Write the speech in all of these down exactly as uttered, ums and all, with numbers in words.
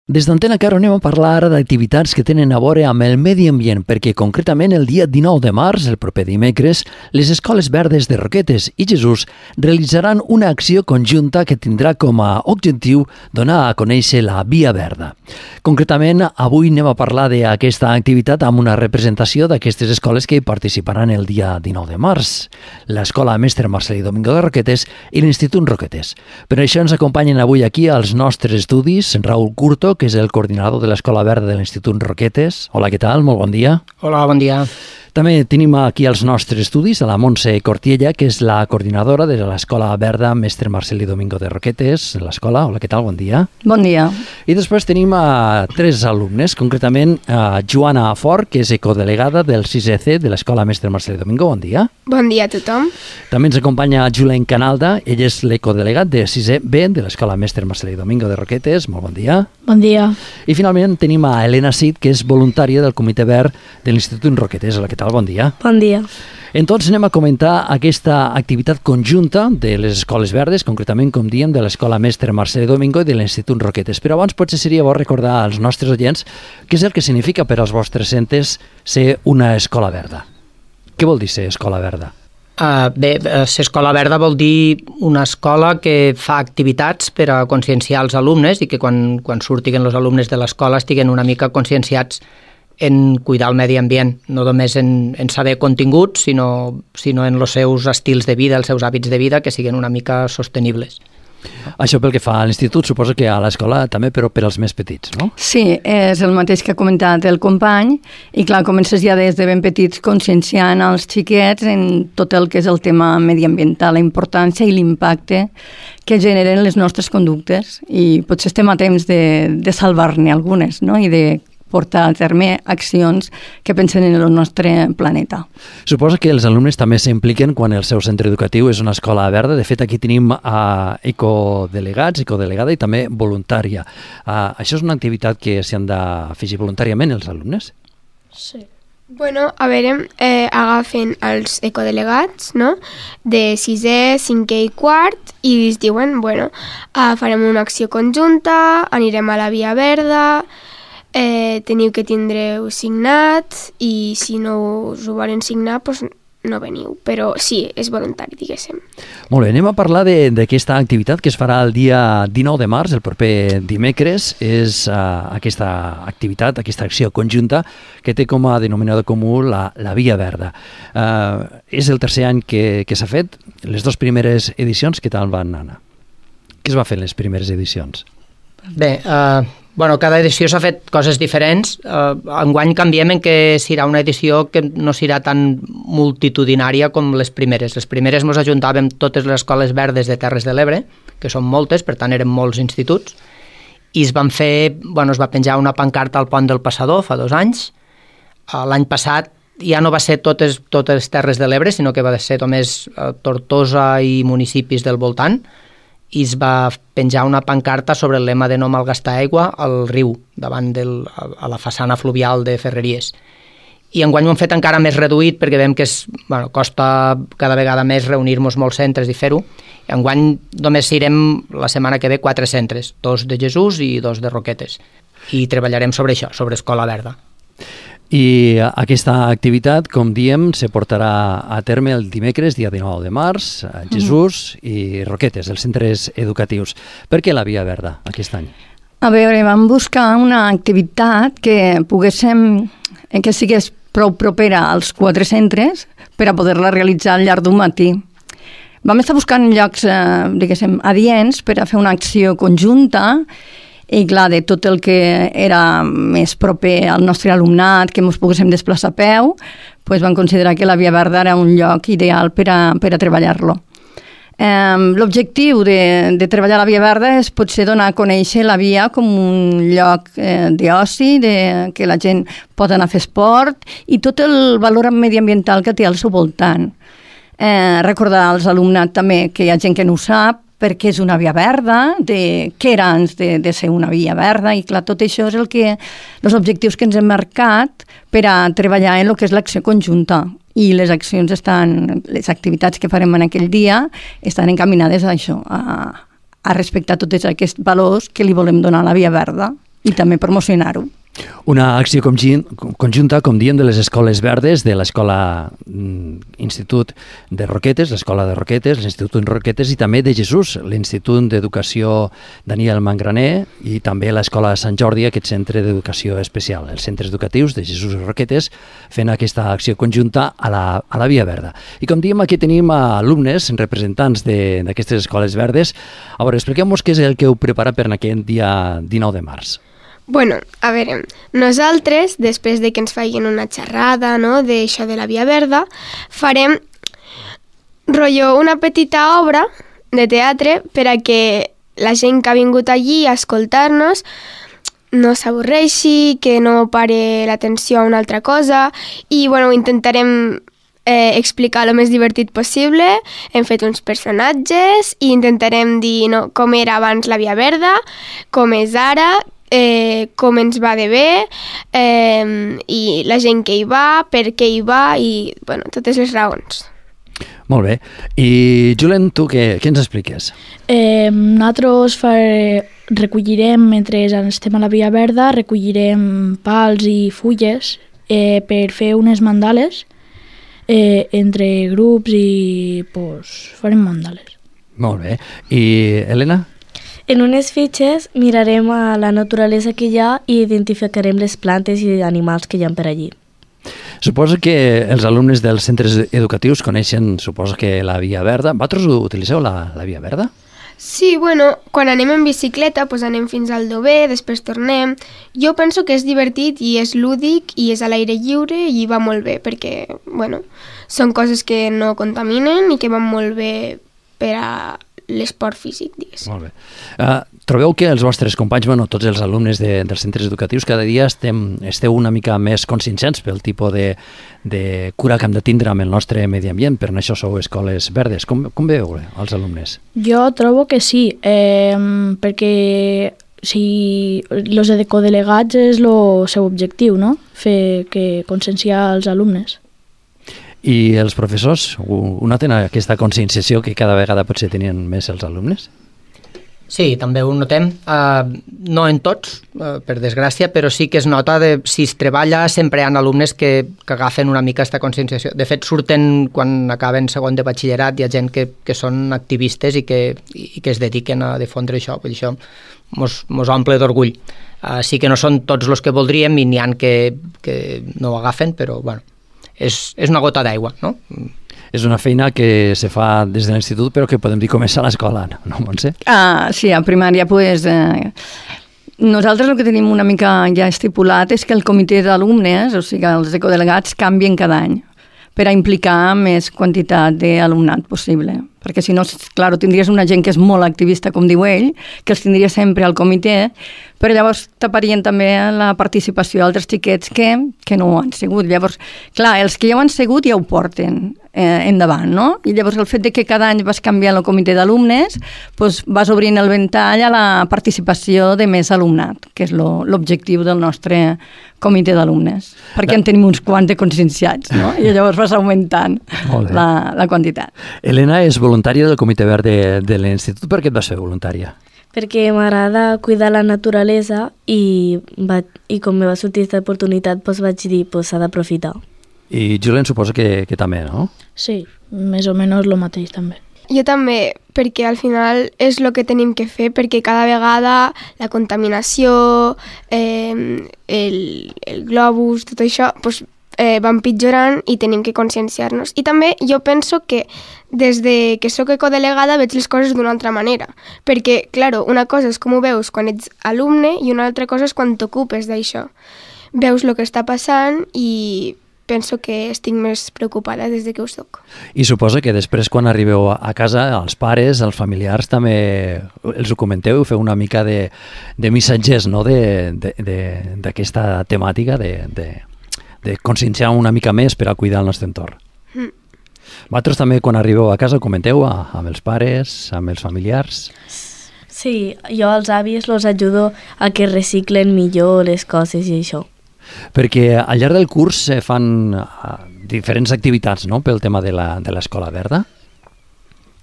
Des d'Antena Caro anem a parlar ara d'activitats que tenen a veure amb el medi ambient, perquè concretament el dia dinou de març, el proper dimecres, les Escoles Verdes de Roquetes i Jesús realitzaran una acció conjunta que tindrà com a objectiu donar a conèixer la Via Verda. Concretament, avui anem a parlar d'aquesta activitat amb una representació d'aquestes escoles que hi participaran el dia dinou de març, l'Escola Mestre Marcelí Domingo de Roquetes i l'Institut Roquetes. Per això ens acompanyen avui aquí als nostres estudis Raúl Curto, que és el coordinador de l'Escola Verda de l'Institut Roquetes. Hola, què tal? Molt bon dia. Hola, bon dia. També tenim aquí als nostres estudis a la Montse Cortiella, que és la coordinadora de l'Escola Verda Mestre Marcelí Domingo de Roquetes, l'escola. Hola, què tal? Bon dia. Bon dia. I després tenim a tres alumnes, concretament a Joana Fort, que és ecodelegada del sisè C de l'Escola Mestre Marcelí Domingo. Bon dia. Bon dia a tothom. També ens acompanya Julen Canalda, ell és l'ecodelegat de sisè B de l'Escola Mestre Marcelí Domingo de Roquetes. Molt bon dia. Bon dia. I finalment tenim a Helena Cid, que és voluntària del Comitè Verd de l'Institut Roquetes. Hola, què tal? Bon dia. Bon dia. Entonces anem a comentar aquesta activitat conjunta de les Escoles Verdes, concretament, com diem, de l'Escola Mestre Marcelí Domingo i de l'Institut Roquetes. Però abans potser seria bo recordar als nostres oients què és el que significa per als vostres centres ser una escola verda. Què vol dir ser escola verda? Uh, bé, ser escola verda vol dir una escola que fa activitats per a conscienciar els alumnes i que quan, quan surtin els alumnes de l'escola estiguen una mica conscienciats en cuidar el medi ambient, no només en, en saber continguts, sinó, sinó en els seus estils de vida, els seus hàbits de vida, que siguin una mica sostenibles. Això pel que fa a l'institut, suposo que a l'escola també, però per als més petits, no? Sí, és el mateix que ha comentat el company, i clar, comences ja des de ben petits conscienciant els xiquets en tot el que és el tema mediambiental, la importància i l'impacte que generen les nostres conductes, i potser estem a temps de, de salvar-ne algunes, no?, i de portar a terme accions que pensen en el nostre planeta. Suposo que els alumnes també s'impliquen quan el seu centre educatiu és una escola verda. De fet, aquí tenim uh, ecodelegats, ecodelegada i també voluntària. Uh, això és una activitat que s'hi han d'afegir voluntàriament els alumnes? Sí. Bueno, a veure, eh, agafen els ecodelegats, no?, de sisè, cinquè i quart, i es diuen, bueno, uh, farem una acció conjunta, anirem a la Via Verda, Eh, teniu que tindreu signat i si no us ho volen signar doncs no veniu, però sí, és voluntari, diguéssim. Molt bé, anem a parlar d'aquesta activitat que es farà el dia dinou de març, el proper dimecres. És uh, aquesta activitat, aquesta acció conjunta que té com a denominador comú la, la Via Verda. Uh, és el tercer any que, que s'ha fet. Les dues primeres edicions, què tal van anar? Què es va fer en les primeres edicions? Bé, uh, bueno, cada edició s'ha fet coses diferents. Uh, enguany canviem en que serà una edició que no serà tan multitudinària com les primeres. Les primeres ens ajuntàvem totes les escoles verdes de Terres de l'Ebre, que són moltes, per tant eren molts instituts, i es van fer, bueno, es va penjar una pancarta al pont del Passador fa dos anys. Uh, l'any passat ja no va ser totes, totes Terres de l'Ebre, sinó que va ser només uh, Tortosa i municipis del voltant, i es va penjar una pancarta sobre el lema de no malgastar aigua al riu, davant del, a la façana fluvial de Ferreries. I enguany ho hem fet encara més reduït perquè veiem que és, bueno, costa cada vegada més reunir-nos molts centres i fer-ho. Enguany només irem la setmana que ve quatre centres, dos de Jesús i dos de Roquetes. I treballarem sobre això, sobre Escola Verda. I aquesta activitat, com diem, se portarà a terme el dimecres, dia dinou de març, a Jesús mm. i Roquetes, els centres educatius. Per què la Via Verda aquest any? A veure, vam buscar una activitat que poguéssim, que sigués prou propera als quatre centres per a poder-la realitzar al llarg d'un matí. Vam estar buscant llocs, eh, diguéssim, adients per a fer una acció conjunta. I clar, de tot el que era més proper al nostre alumnat, que ens poguéssim desplaçar a peu, doncs vam considerar que la Via Verda era un lloc ideal per a, per a treballar-lo. Eh, l'objectiu de, de treballar a la Via Verda és potser donar a conèixer la via com un lloc eh, d'oci, de, que la gent pot anar a fer esport, i tot el valor mediambiental que té al seu voltant. Eh, recordar als alumnat també que hi ha gent que no ho sap, perquè és una via verda, de què era abans de, de ser una via verda, i clar, tot això és el que, els objectius que ens hem marcat per a treballar en el que és l'acció conjunta. I les accions estan, les activitats que farem en aquell dia estan encaminades a això, a, a respectar tots aquests valors que li volem donar a la Via Verda. i també promocionar-ho. Una acció conjunta, com diem, de les escoles verdes, de l'escola Institut de Roquetes, l'escola de Roquetes, l'Institut de Roquetes i també de Jesús, l'Institut d'Educació Daniel Mangraner i també l'escola Sant Jordi, aquest centre d'educació especial, els centres educatius de Jesús i Roquetes, fent aquesta acció conjunta a la, a la Via Verda. I com diem, aquí tenim alumnes, representants d'aquestes escoles verdes. A veure, expliquem-nos què és el que heu preparat per aquest dia dinou de març. Bueno, a veure, nosaltres, després de que ens facin una xerrada, no?, d'això de la Via Verda, farem rotllo una petita obra de teatre per a que la gent que ha vingut allí a escoltar-nos no s'avorreixi, que no pare l'atenció a una altra cosa, i bueno, intentarem eh, explicar el més divertit possible. Hem fet uns personatges i intentarem dir no, com era abans la Via Verda, com és ara, Eh, com ens va de bé eh, i la gent que hi va, per què hi va i bueno, totes les raons. Molt bé. I Julen, tu què, què ens expliques? Eh, nosaltres fare, recollirem, mentre estem a la Via Verda, recollirem pals i fulles eh, per fer unes mandales eh, entre grups i pues, farem mandales. Molt bé. I Helena? En unes fitxes mirarem a la naturalesa que hi ha i identificarem les plantes i animals que hi ha per allí. Suposo que els alumnes dels centres educatius coneixen, suposo que la Via Verda. Vosaltres utilitzeu la, la Via Verda? Sí, bueno, quan anem en bicicleta pues anem fins al Dover, després tornem. Jo penso que és divertit i és lúdic i és a l'aire lliure i va molt bé perquè, bueno, són coses que no contaminen i que van molt bé per a l'esport físic, diguéssim. Molt bé. Uh, trobeu que els vostres companys, bueno, tots els alumnes de, dels centres educatius, cada dia estem, esteu una mica més conscienciats pel tipus de, de cura que hem de tindre amb el nostre medi ambient, per això sou escoles verdes. Com, com veieu els alumnes? Jo trobo que sí, eh, perquè si els ecodelegats és el seu objectiu, no? Fer que conscienciar els alumnes. I els professors, ho noten aquesta conscienciació que cada vegada potser tenien més els alumnes? Sí, també ho notem. Uh, no en tots, uh, per desgràcia, però sí que es nota de si es treballa sempre hi ha alumnes que, que agafen una mica aquesta conscienciació. De fet, surten quan acaben segon de batxillerat, hi ha gent que, que són activistes i que, i que es dediquen a difondre això. Vull dir, això mos, mos omple d'orgull. Uh, sí que no són tots els que voldríem i n'hi ha que, que no ho agafen, però bueno, és, és una gota d'aigua, no? És una feina que se fa des de l'institut, però que podem dir començar a l'escola, no, Montse? Ah, sí, a primària, pues, eh, nosaltres el que tenim una mica ja estipulat és que el comitè d'alumnes, o sigui, els ecodelegats, canvien cada any per a implicar més quantitat d'alumnat possible. Perquè si no, clar, tindries una gent que és molt activista, com diu ell, que els tindria sempre al comitè, però llavors taparien també la participació d'altres xiquets que, que no ho han sigut. Llavors, clar, els que ja ho han sigut ja ho porten eh, endavant, no? I llavors el fet de que cada any vas canviant el comitè d'alumnes, doncs vas obrint el ventall a la participació de més alumnat, que és l'objectiu del nostre comitè d'alumnes, perquè en tenim uns quants de conscienciats, no? I llavors vas augmentant la, la quantitat. Helena és voluntària del Comitè Verd de, de l'Institut. Per què et vas fer voluntària? Perquè m'agrada cuidar la naturalesa i, va, i com me va sortir aquesta oportunitat doncs vaig dir que pues, s'ha d'aprofitar. I Julen suposa que, que també, no? Sí, més o menys el mateix també. Jo també, perquè al final és el que tenim que fer, perquè cada vegada la contaminació, eh, el, el globus, tot això, doncs, eh, va empitjorant i tenim que conscienciar-nos. I també jo penso que des de que sóc ecodelegada veig les coses d'una altra manera, perquè, clar, una cosa és com ho veus quan ets alumne i una altra cosa és quan t'ocupes d'això. Veus el que està passant i penso que estic més preocupada des de que ho soc. I suposo que després, quan arribeu a casa, els pares, els familiars, també els ho comenteu i feu una mica de, de missatges, no?, d'aquesta temàtica, de, de, de conscienciar una mica més per a cuidar el nostre entorn. Mm. Vosaltres també, quan arribeu a casa, ho comenteu amb els pares, amb els familiars? Sí, jo als avis els ajudo a que reciclen millor les coses i això. Perquè al llarg del curs se fan diferents activitats, no?, pel tema de l'escola verda.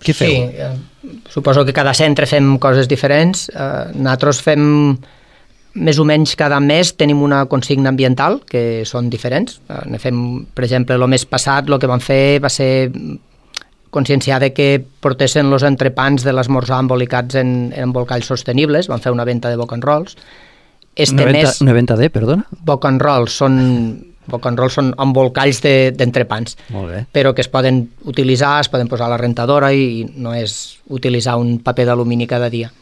Què feu? Sí, eh, suposo que cada centre fem coses diferents. Eh, nosaltres fem més o menys cada mes tenim una consigna ambiental, que són diferents. Ne fem, per exemple, el mes passat el que vam fer va ser conscienciar de que portessin els entrepans de l'esmorzar embolicats en, en embolcalls sostenibles. Vam fer una venda de boc and rolls. Este una, venta, mes, una venta de, perdona? Boc and rolls són, boc and rolls són embolcalls d'entrepans, de, però que es poden utilitzar, es poden posar a la rentadora i no és utilitzar un paper d'alumini cada dia.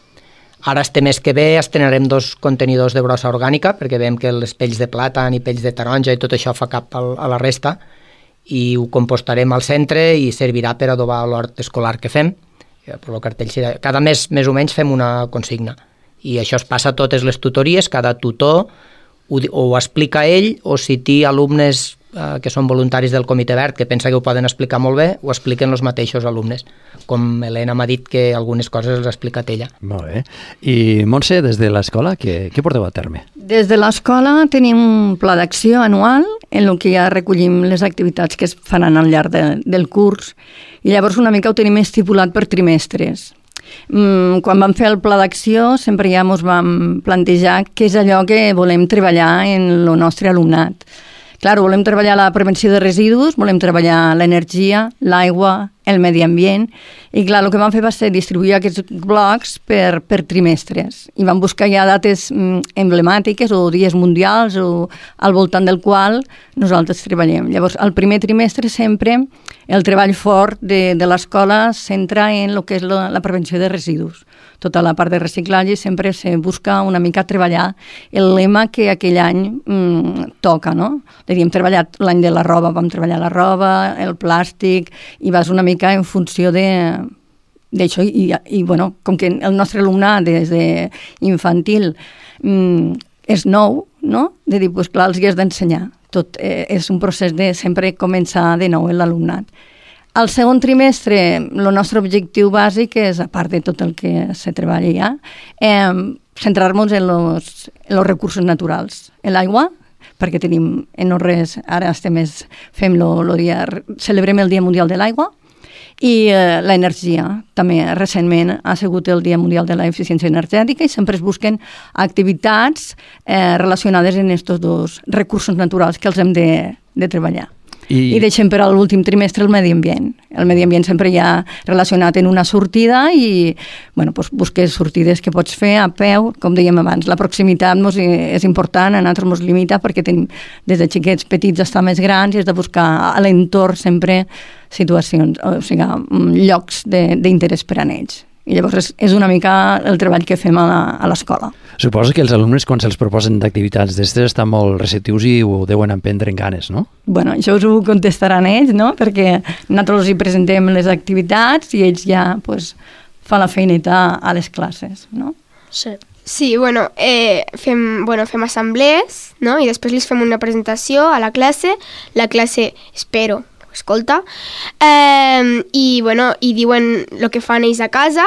Ara, este mes que ve, estrenarem dos contenidors de brossa orgànica, perquè veiem que les pells de plàtan i pells de taronja i tot això fa cap al, a la resta, i ho compostarem al centre i servirà per adobar l'hort escolar que fem. El cartell, cada mes, més o menys, fem una consigna. I això es passa a totes les tutories, cada tutor ho, ho explica ell, o si té alumnes eh, que són voluntaris del Comitè Verd, que pensa que ho poden explicar molt bé, ho expliquen els mateixos alumnes. Com Helena m'ha dit que algunes coses les ha explicat ella. Molt bé. I Montse, des de l'escola, què, què porteu a terme? Des de l'escola tenim un pla d'acció anual en el que ja recollim les activitats que es faran al llarg de, del curs, i llavors una mica ho tenim estipulat per trimestres. Mm, quan vam fer el pla d'acció sempre ja ens vam plantejar què és allò que volem treballar en el nostre alumnat. Clar, volem treballar la prevenció de residus, volem treballar l'energia, l'aigua, el medi ambient, i clar, el que vam fer va ser distribuir aquests blocs per, per trimestres, i vam buscar ja dates mm, emblemàtiques o dies mundials o al voltant del qual nosaltres treballem. Llavors, al primer trimestre sempre el treball fort de, de l'escola centra en el que és la, la prevenció de residus. Tota la part de reciclatge sempre se busca una mica treballar el lema que aquell any mmm, toca, no? Hem treballat l'any de la roba, vam treballar la roba, el plàstic, i vas una mica en funció de d'això, i, i bueno, com que el nostre alumnat des d'infantil mmm, és nou, no? De dir, doncs clar, els hi has d'ensenyar. Tot eh, és un procés de sempre començar de nou en l'alumnat. Al segon trimestre, el nostre objectiu bàsic és, a part de tot el que se treballa ja, eh, centrar-nos en els recursos naturals, en l'aigua, perquè tenim en no res, ara estem més, fem lo, lo dia, celebrem el Dia Mundial de l'Aigua, i eh, l'energia. També recentment ha sigut el Dia Mundial de l'Eficiència Energètica i sempre es busquen activitats eh, relacionades amb aquests dos recursos naturals que els hem de, de treballar. I... I deixem per a l'últim trimestre el medi ambient. El medi ambient sempre hi ha relacionat en una sortida i bueno, doncs busques sortides que pots fer a peu, com dèiem abans. La proximitat mos és important, a nosaltres ens limita perquè tenim des de xiquets petits a estar més grans i has de buscar a l'entorn sempre situacions, o sigui, llocs d'interès per a ells. I llavors és, és una mica el treball que fem a l'escola. Suposo que els alumnes, quan se'ls proposen d'activitats d'estes, estan molt receptius i ho deuen emprendre en ganes, no? Bueno, això us ho contestaran ells, no? Perquè nosaltres els presentem les activitats i ells ja pues, fan la feineta a les classes, no? Sí. Sí, bueno, eh, fem, bueno, fem assemblees, no? I després els fem una presentació a la classe. La classe, espero, escolta, eh, i, bueno, i diuen el que fan ells a casa,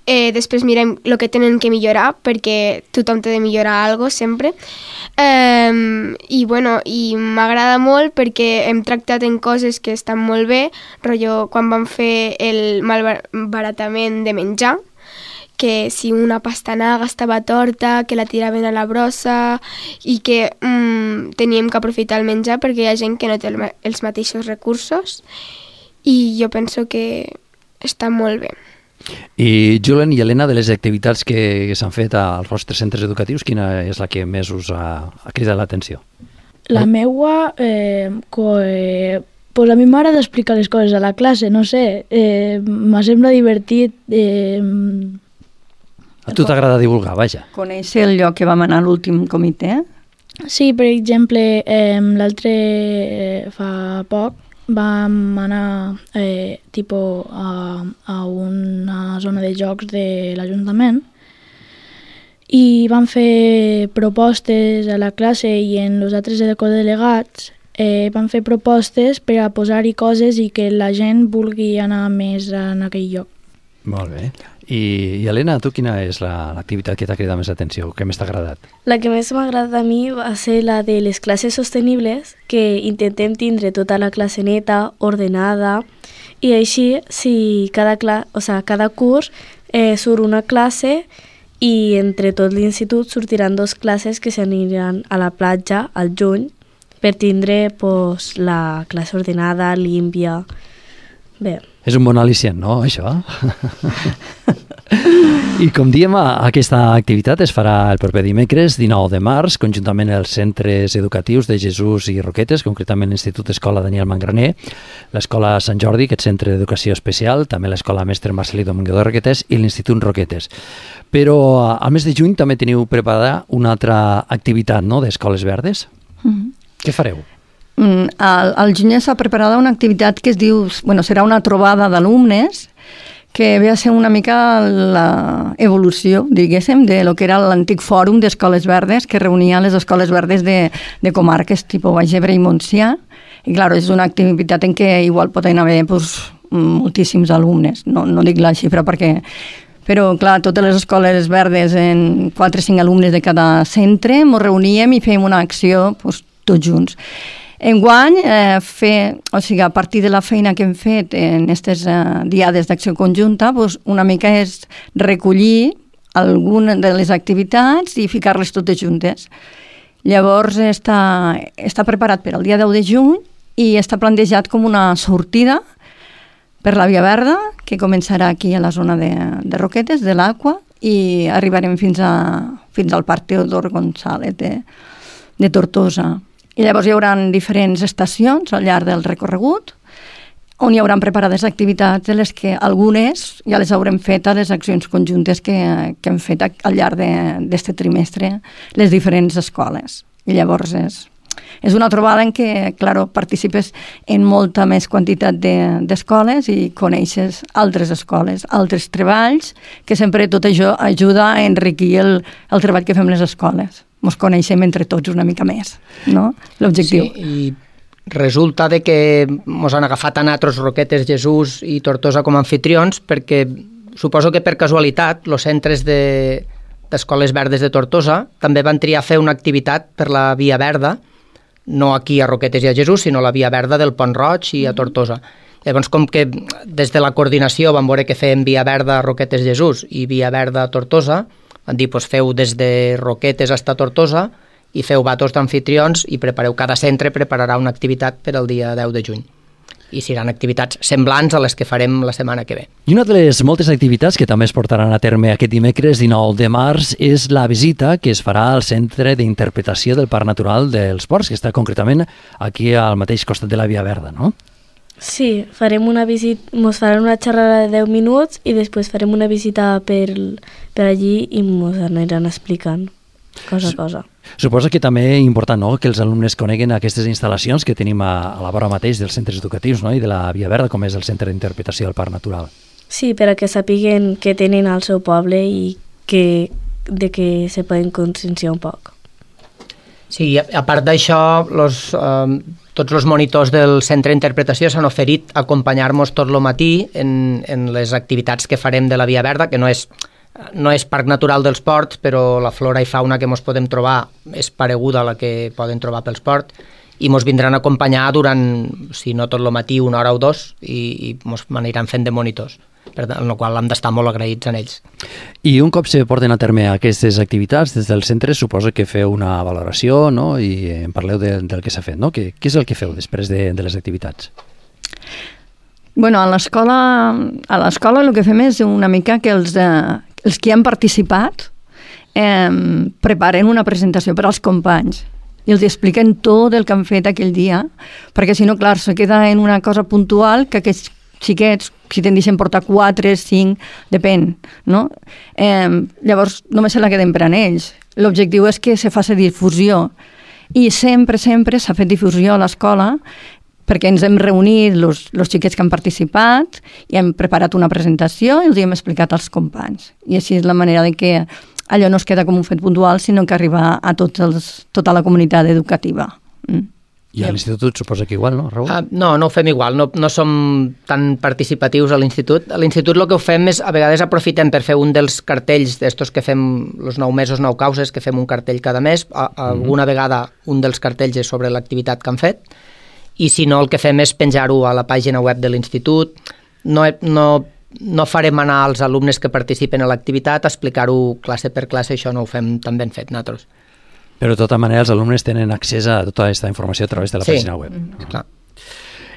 eh, després mirem el que tenen que millorar, perquè tothom té de millorar alguna cosa sempre, eh, i, bueno, i m'agrada molt perquè hem tractat en coses que estan molt bé, rotllo quan vam fer el malbaratament de menjar, que si una pastanaga estava torta, que la tiraven a la brossa i que mm, teníem que aprofitar el menjar perquè hi ha gent que no té el, els mateixos recursos i jo penso que està molt bé. I Julen i Helena, de les activitats que s'han fet als vostres centres educatius, quina és la que més us ha, ha cridat l'atenció? La meua, eh, co, eh, pues a mi m'agrada explicar les coses a la classe, no sé, eh, m'ha sembla divertit. Eh, A tu t'agrada divulgar, vaja. Conèixer el lloc que vam anar a l'últim comitè? Sí, per exemple, eh, l'altre eh, fa poc vam anar eh, tipo a, a una zona de jocs de l'Ajuntament i vam fer propostes a la classe i en els altres ecodelegats eh, vam fer propostes per a posar-hi coses i que la gent vulgui anar més en aquell lloc. Molt bé. I, i Helena, tu quina és l'activitat la, que t'ha cridat més atenció, que més t'ha agradat? La que més m'ha agradat a mi va ser la de les classes sostenibles, que intentem tindre tota la classe neta, ordenada, i així, si cada, cla o sea, cada curs eh, surt una classe i entre tot l'institut sortiran dos classes que s'aniran a la platja al juny per tindre pues, la classe ordenada, límpia. Bé. És un bon al·licient, no, això? I com diem, aquesta activitat es farà el proper dimecres, dinou de març, conjuntament els centres educatius de Jesús i Roquetes, concretament l'Institut Escola Daniel Mangraner, l'Escola Sant Jordi, aquest centre d'educació especial, també l'Escola Mestre Marcelí Domingo de Roquetes i l'Institut Roquetes. Però al mes de juny també teniu preparada una altra activitat, no?, d'Escoles Verdes. Mm-hmm. Què fareu? Mm, al, al juny s'ha preparada una activitat que es diu, bueno, serà una trobada d'alumnes que ve a ser una mica l'evolució, diguéssim, de lo que era l'antic fòrum d'Escoles Verdes que reunia les escoles verdes de, de comarques tipus Baix Ebre i Montsià. I, clar, és una activitat en què igual poden haver pues, moltíssims alumnes. No, no dic la xifra perquè... Però, clar, totes les escoles verdes, en quatre o cinc alumnes de cada centre, ens reuníem i fèiem una acció pues, tots junts. Enguany, eh, fer, o sigui, a partir de la feina que hem fet en aquestes eh, diades d'acció conjunta, doncs una mica és recollir alguna de les activitats i ficar-les totes juntes. Llavors està, està preparat per al dia deu de juny i està plantejat com una sortida per la Via Verda, que començarà aquí a la zona de, de Roquetes, de l'Aqua, i arribarem fins, a, fins al Parc Teodor González de, de Tortosa. I llavors hi haurà diferents estacions al llarg del recorregut on hi haurà preparades activitats de les que algunes ja les haurem fet a les accions conjuntes que, que hem fet al llarg d'aquest trimestre les diferents escoles. I llavors és, és una trobada en què, claro, participes en molta més quantitat d'escoles de, i coneixes altres escoles, altres treballs, que sempre tot això ajuda a enriquir el, el treball que fem les escoles. Ens coneixem entre tots una mica més, no? L'objectiu. Sí, i resulta de que ens han agafat a nosaltres Roquetes, Jesús i Tortosa com a anfitrions perquè suposo que per casualitat els centres de, d'Escoles Verdes de Tortosa també van triar fer una activitat per la Via Verda, no aquí a Roquetes i a Jesús, sinó la Via Verda del Pont Roig i a Tortosa. Llavors, com que des de la coordinació van veure que fèiem Via Verda a Roquetes, Jesús i Via Verda a Tortosa, van dir, doncs feu des de Roquetes fins a Tortosa i feu vatos d'anfitrions i prepareu, cada centre prepararà una activitat per al dia deu de juny. I seran activitats semblants a les que farem la setmana que ve. I una de les moltes activitats que també es portaran a terme aquest dimecres dinou de març és la visita que es farà al Centre d'Interpretació del Parc Natural dels Ports, que està concretament aquí al mateix costat de la Via Verda, no? Sí, farem una visita, ens faran una xerrada de deu minuts i després farem una visita per, per allí i ens aniran explicant cosa a cosa. Suposo que també és important, no?, que els alumnes coneguen aquestes instal·lacions que tenim a, a la vora mateix dels centres educatius, no?, i de la Via Verda, com és el Centre d'Interpretació del Parc Natural. Sí, per a que sàpiguen què tenen al seu poble i que, de què se poden conscienciar un poc. Sí, a part d'això, los, eh, tots els monitors del Centre d'Interpretació s'han oferit a acompanyar-nos tot el matí en, en les activitats que farem de la Via Verda, que no és, no és Parc Natural dels Ports, però la flora i fauna que ens podem trobar és pareguda a la que poden trobar pels ports, i ens vindran a acompanyar durant, si no tot el matí, una hora o dos, i, i ens aniran fent de monitors, per la qual hem d'estar molt agraïts en ells. I un cop se porten a terme aquestes activitats des del centre, suposo que feu una valoració, no?, i en parleu de, del que s'ha fet, no? Què, què és el que feu després de, de les activitats? Bueno, a l'escola a l'escola el que fem és una mica que els, eh, els que han participat eh, preparen una presentació per als companys i els expliquen tot el que han fet aquell dia, perquè si no, clar, se queda en una cosa puntual que aquests xiquets, si te'n deixen portar quatre, cinc, depèn, no? Eh, llavors només se la queden per a ells. L'objectiu és que se faci difusió i sempre, sempre s'ha fet difusió a l'escola perquè ens hem reunit els xiquets que han participat i hem preparat una presentació i els hem explicat als companys. I així és la manera de que allò no es queda com un fet puntual, sinó que arriba a tots els, tota la comunitat educativa. Mm. I a l'institut suposa que igual, no, Raül? Uh, no, no ho fem igual, no, no som tan participatius a l'institut. A l'institut el que ho fem és, a vegades aprofitem per fer un dels cartells d'estos que fem els nou mesos, nou causes, que fem un cartell cada mes, a, a, mm-hmm. alguna vegada un dels cartells és sobre l'activitat que han fet, i si no el que fem és penjar-ho a la pàgina web de l'institut. No, no no farem anar als alumnes que participen a l'activitat a explicar-ho classe per classe, això no ho fem tan ben fet nosaltres. Però de tota manera els alumnes tenen accés a tota aquesta informació a través de la sí. pàgina web. Mm, clar.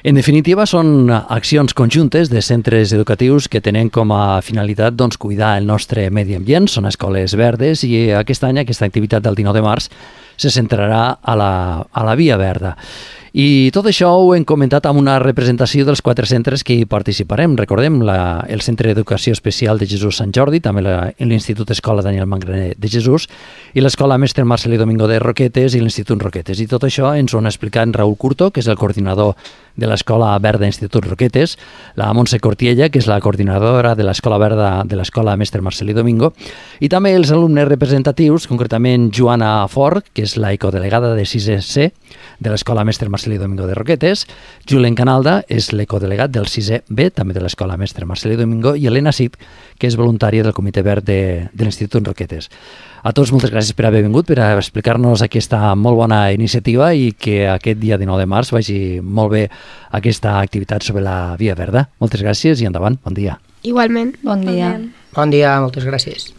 En definitiva, són accions conjuntes de centres educatius que tenen com a finalitat doncs, cuidar el nostre medi ambient, són escoles verdes, i aquest any aquesta activitat del dinou de març se centrarà a la, a la Via Verda. I tot això ho hem comentat amb una representació dels quatre centres que hi participarem. Recordem la, el Centre d'Educació Especial de Jesús Sant Jordi, també la, l'Institut Escola Daniel Mangraner de Jesús i l'Escola Mestre Marcelí Domingo de Roquetes i l'Institut Roquetes. I tot això ens ho han explicat Raül Curto, que és el coordinador de l'Escola Verda Institut Roquetes, la Montse Cortiella, que és la coordinadora de l'Escola Verda de l'Escola Mestre Marcelí Domingo, i també els alumnes representatius, concretament Joana Fort, que és la ecodelegada de sisè C de l'Escola Mestre Marcelí Domingo de Roquetes, Julen Canalda és l'ecodelegat del sisè B, també de l'Escola Mestre Marcelí Domingo, i Helena Cid, que és voluntària del Comitè Verd de, de l'Institut Roquetes. A tots moltes gràcies per haver vingut, per explicar-nos aquesta molt bona iniciativa i que aquest dia dinou de març vagi molt bé aquesta activitat sobre la Via Verda. Moltes gràcies i endavant, bon dia. Igualment. Bon dia. Bon dia, moltes gràcies.